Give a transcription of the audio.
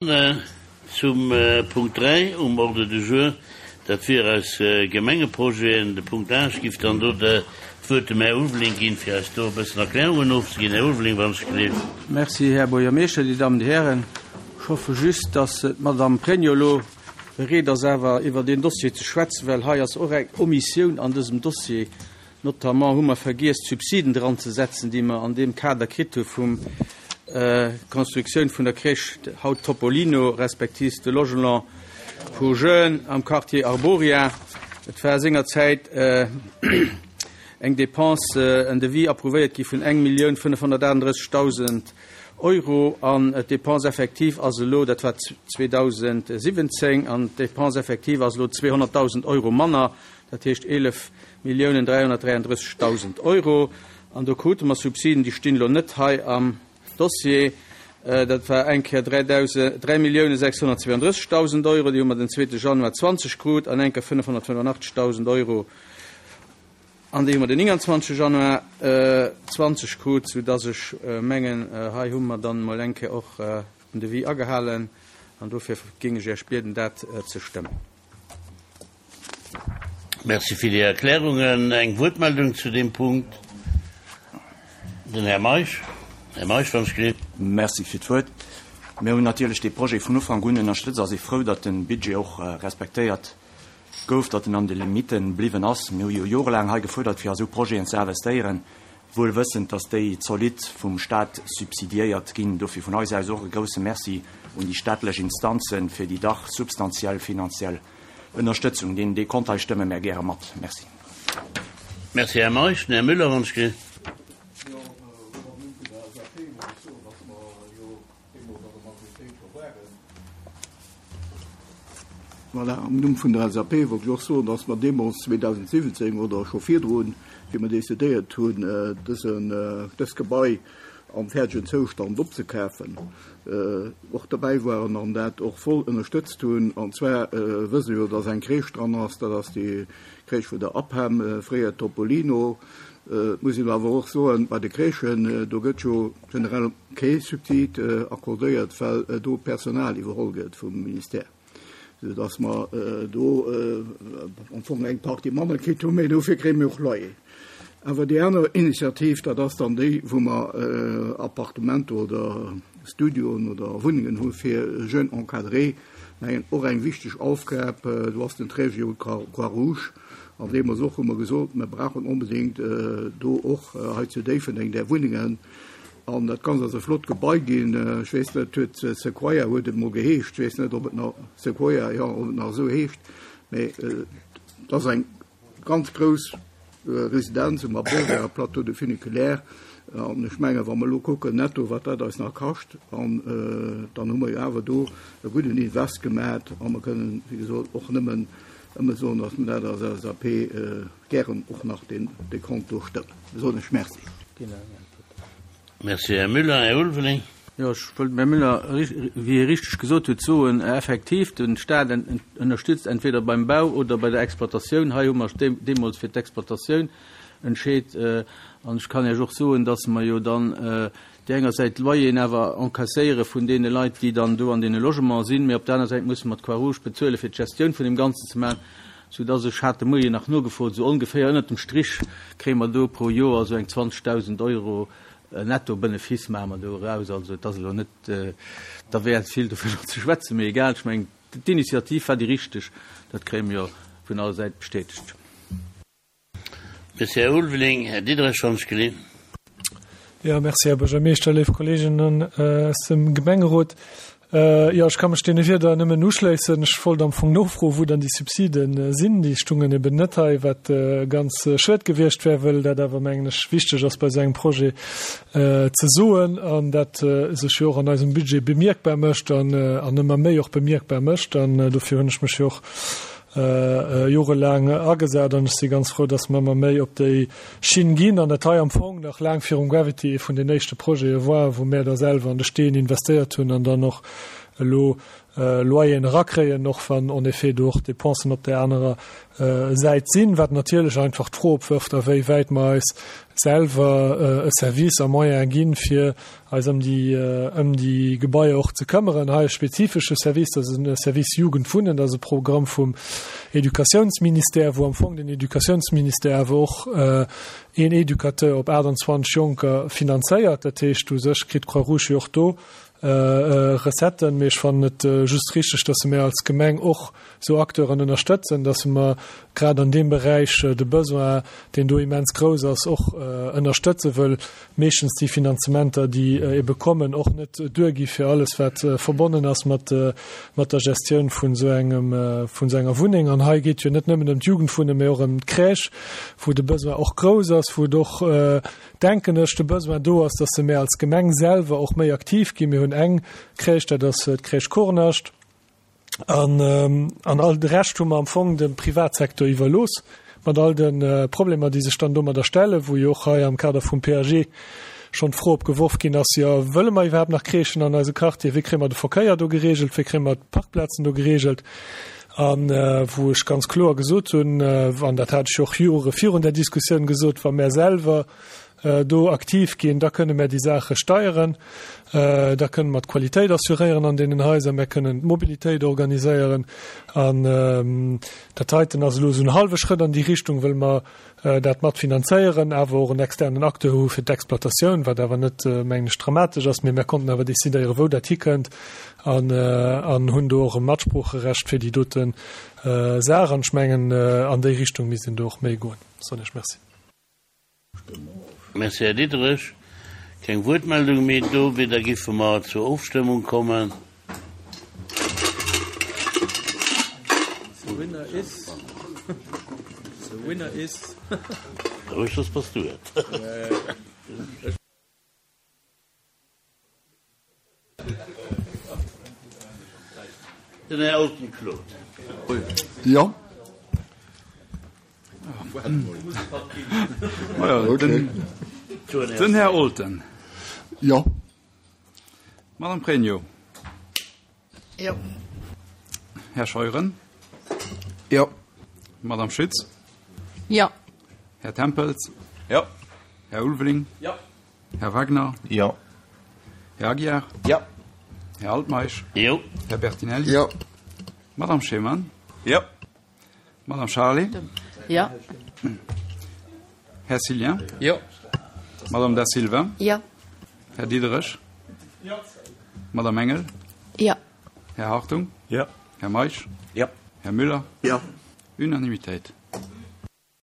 Zum Punkt 3 um Ordre du jour, dat wier eis Gemengeprojeten. De Punkt 8 giff dann do d'Wuert dem Här Ulveling ginn, fir eis do e bëssen Erklärungen ofzeginn. Här Ulveling, wann ech gleef. Merci, Här Buergermeeschter, Dir Dammen, Dir Hären. Ech hoffe just, dass d'Madame Pregno elo bereet ass, awer iwwer deen Dossier ze schwätzen, well hei ass och eng Omissioun an dësem Dossier. Notamment hu mer vergiess, d'Subsiden dranzesetzen, déi mer an deem Kader kritt hu vum Constructioun vun der Crèche, haut Topolino, respektiv de Logement pour jeunes am Quartier Arboria. Et war sengerzäit eng Dépense, en Devis approuvéiert gi vun 1.538.000 Euro an d'Dépense effective ass elo, dat war 2017, an d'Dépense effective ass elo 200.000 Euro manner, dat heescht 11.333.000 Euro. An do krute mer Subsiden, déi stinn elo net hei am Dossier, dat war eng Kéier 3.632.000 Euro, déi hu mer den zweete Januar 20 krut, an eng Kéier 585.000 Euro, an déi hu mer den 29. Januar 20 krut, soudass ech mengen, hei hu mer dann emol eng Kéier och den Devis agehalen, an dofir géing ech Iech bieden, dat ze stëmmen. Merci fir déi Erklärungen. Eng Wuertmeldung zu deem Punkt? Den Här Meisch. Här Meisch, wann ech gleef. Merci fir d'Wuert. Mir hunn natierlech dee Projet vun Ufank un ënnerstëtzt a si frou, datt de Budget och respektéiert gouf, datt en an de Limitte bliwwen ass. Mir hu jo jorelaang hei gefuerdert, fir a sou Projeten ze investéieren, wuel wëssend, datt déi zolidd vum Stat subsidiéiert ginn. Dofir vun eis aus och e grouse Merci un déi staatlech Instanzen fir déi dach substantiell finanziell Ënnerstëtzung. Deen Dekont hei stëmme mär gäre mat. Merci. Merci, Här Meisch. Den Här Müller, wann ech ge. Jo, am Numm vun der LSAP muss ech soen, dass mer jo deemools an der Majoritéit scho waren. Voilà, am Numm vun der LSAP wollt ech och soen, dass mer deemools 2017 oder scho virdrun, wéi mer decidéiert hunn, dësen, dëst Gebai am fäerdegen Zoustand opzekafen, och derbäi waren an dat och voll ënnerstëtzt hunn. An zwar wësse jo, dass eng Crèche dran ass, dat ass déi Crèche vun der APEM, fréier Topolino. Et muss een awer och soen, bei de Crèchen, do gëtt jo generell kee Subsid accordéiert, well do Personal iwwerholl gëtt vum Ministère, soudass mer do am Fong eng Partie manner kritt hunn, mee dofir kréie mir och Loyer. Awer déi aner Initiativ, dat ass dann déi, wou mer Appartementer oder Studioen oder Wunnengen hu fir Jeunes encadrés, mengen och eng wichteg Aufgab. Do ass den Träger jo d'Croix-Rouge. An deemools och hu mer gesot, mer brauchen onbedéngt do och hei zu Déifferdeng där Wunnengen. An dat Ganzt ass e flott Gebai ginn. Ech weess net, huet Sequoia huet et emol geheescht. Ech weess net, ob et nach Sequoia, jo, ob et nach esou heescht. Mee et ass eng ganz grouss Residenz um Aborder Plateau de Funiculaire. An ech mengen, wa mer elo kucken netto, wat dat eis nach kascht, an dann hu mer jo awer do e gudden Invest gemat. A mer kënnen, wéi gesot, och nëmmen ëmme soen, datt mer dat als LSAP gären och nach deen Dekont do stëmmen. Da soen ech Merci. Merci, Här Müller. Här Ulveling. Jo, ech wollt dem Här Müller, wéi hie richteg gesot huet, soen, effektiv, de Stat ënnerstützt entweder beim Bau oder bei der Exploitatioun. Hei hu mer deemools fir d'Exploitatioun entscheet. An ech kann Iech och soen, dass mer jo dann déi enger Säit d'Loyeren awer encasséiere vun deene Leit, déi dann do an deene Logementen sinn, mee op der aner Säit musse mer d'Croix-Rouge bezuele fir d'Gestioun vun deem Ganzen ze maachen, soudass ech hat de Moien nach nogefrot, esou ongeféier ënnert dem Strich kréie mer do pro Joer esou eng 20.000 Euro Netto-Benefice maache mer do eraus. Also et ass elo net derwäert vill dovunner ze schwätzen, mee egal, ech mengen d'Initiativ war déi richteg, dat kréie mer jo vun all Säit bestätegt. Merci, Här Ulveling. Här Diderich, wann ech gelinn. Jo, merci, Här Buergermeeschter, léif Kolleeginnen aus dem Gemengerot. Jo, ech ka mech deene Wierder nëmmen uschléissen. Ech wollt am Fong nofroen, wou dann déi Subside sinn. Déi stungen eben net hei, wat ganz schued gewiescht wär, wëll dat awer, mengen ech, wichteg ass bei esou engem Projet ze soen an dat sech jo och an eisem Budget bemierkbar mécht an ëmmer méi och bemierkbar mécht. An dofir hunn ech mech jo och jorelaang agesat an ech si ganz frou, dass mer ëmmer méi op déi Schinn ginn an dat hei am Fong nach laang virum Gravity ee vun den éischte Projete war, wou mär da selwer an de Steen investéiert hunn an dann och. elo Loyeren erakréien, och wann en effet do och Dépensen op där anerer Säit sinn, wat natierlech einfach d'Fro opwërft, a wéi wäit mer eis selwer e Service a Moyen ginn, fir eis ëm déi, ëm déi Gebaier och ze këmmeren. Hei e spezifesche Service, dat ass e Service Jugend wunnen, dat ass e Programm vum Educatiounsministère, wou am Fong den Educatiounsministère awer och een Educateur op 28 Jonker finanzéiert. Dat heescht, u sech kritt d'Croix-Rouge jo och do Recetten, mee ech fannen et just richteg, dass mer als Gemeng och esou Acteuren ënnerstëtzen, dass mer grad an deem Beräich de Besoin, deen do immens grouss ass, och ënnerstëtzen, wëll meeschtens déi Finanzementer, déi ebe kommen, och net duergi fir alles, wat verbonnen ass mat der Gestioun vun esou engem, vun esou enger Wunneng. An hei geet jo net nëmmen ëm d'Jugendwunnen, mee och ëm d'Crèche, wou de Besoin och grouss ass, wou et och, denken ech, de Besoin do ass, dass se mär als Gemeng selwer och méi aktiv ginn. Mir hunn eng Crèche, dat ass d'Crèche Kornascht, an an all de Rescht hu mer am Fong dem Privatsektor iwwerlooss, mat all de Problemer, déi sech dann domadder stellen, wou jo och hei am Kader vum PAG schonn d'Fro opgeworf ginn ass, jo, wëlle mer iwwerhaapt nach Crèchen an eise Quartier, wéi kréie mer de Verkéier do geregelt, wéi kréie mer d'Parkplazen do geregelt? A wou ech ganz kloer gesot hunn, an dat hat ech jo och Jore virun där Diskussioun gesot, wa mär selwer do aktiv ginn, da kënne mär déi Saache steieren, da kënne mer d'Qualitéit assuréieren an deenen Haiser, mär kënnen d'Mobilitéit organiséieren. An dat heiten ass elo esou en hallwe Schrëtt an déi Richtung, wëll mer dat mat finanzéieren, awer och en externen Acteur hu fir d'Exploitatioun, wat awer net, mengen ech, dramatesch ass, mee mär konnten awer decidéieren, wou dat hikënnt an an hunn do och e Matsproocherecht fir déi dote Saach. An ech mengen, an déi Richtung misst een do och méi goen. Soen ech Merci. Merci, Här Diderich. Keng Wuertmeldung méi do. Wéi da giffe mer zur Ofstëmmung kommen. The winner is. The winner is. Roueg, soss bass du et. Den Här Olten Claude. Jo. Den Här Olten. Jo. Madame Pregno. Jo. Här Scheuren. Jo. Madame Schütz. Jo. Här Tempels. Jo. Här Ulveling. Jo. Här Wagner. Jo. Här Aguiar. Jo. Här Altmeisch. Jo. Här Bertinelli. Jo. Madame Schemann. Jo. Madame Charlé. Jo. Här Cillien. Jo. Madame Da Silva. Jo. Här Diderich. Jo. Madame Engel. Jo. Här Hartung. Jo. Här Meisch. Jo. Här Müller. Jo. Unanimitéit.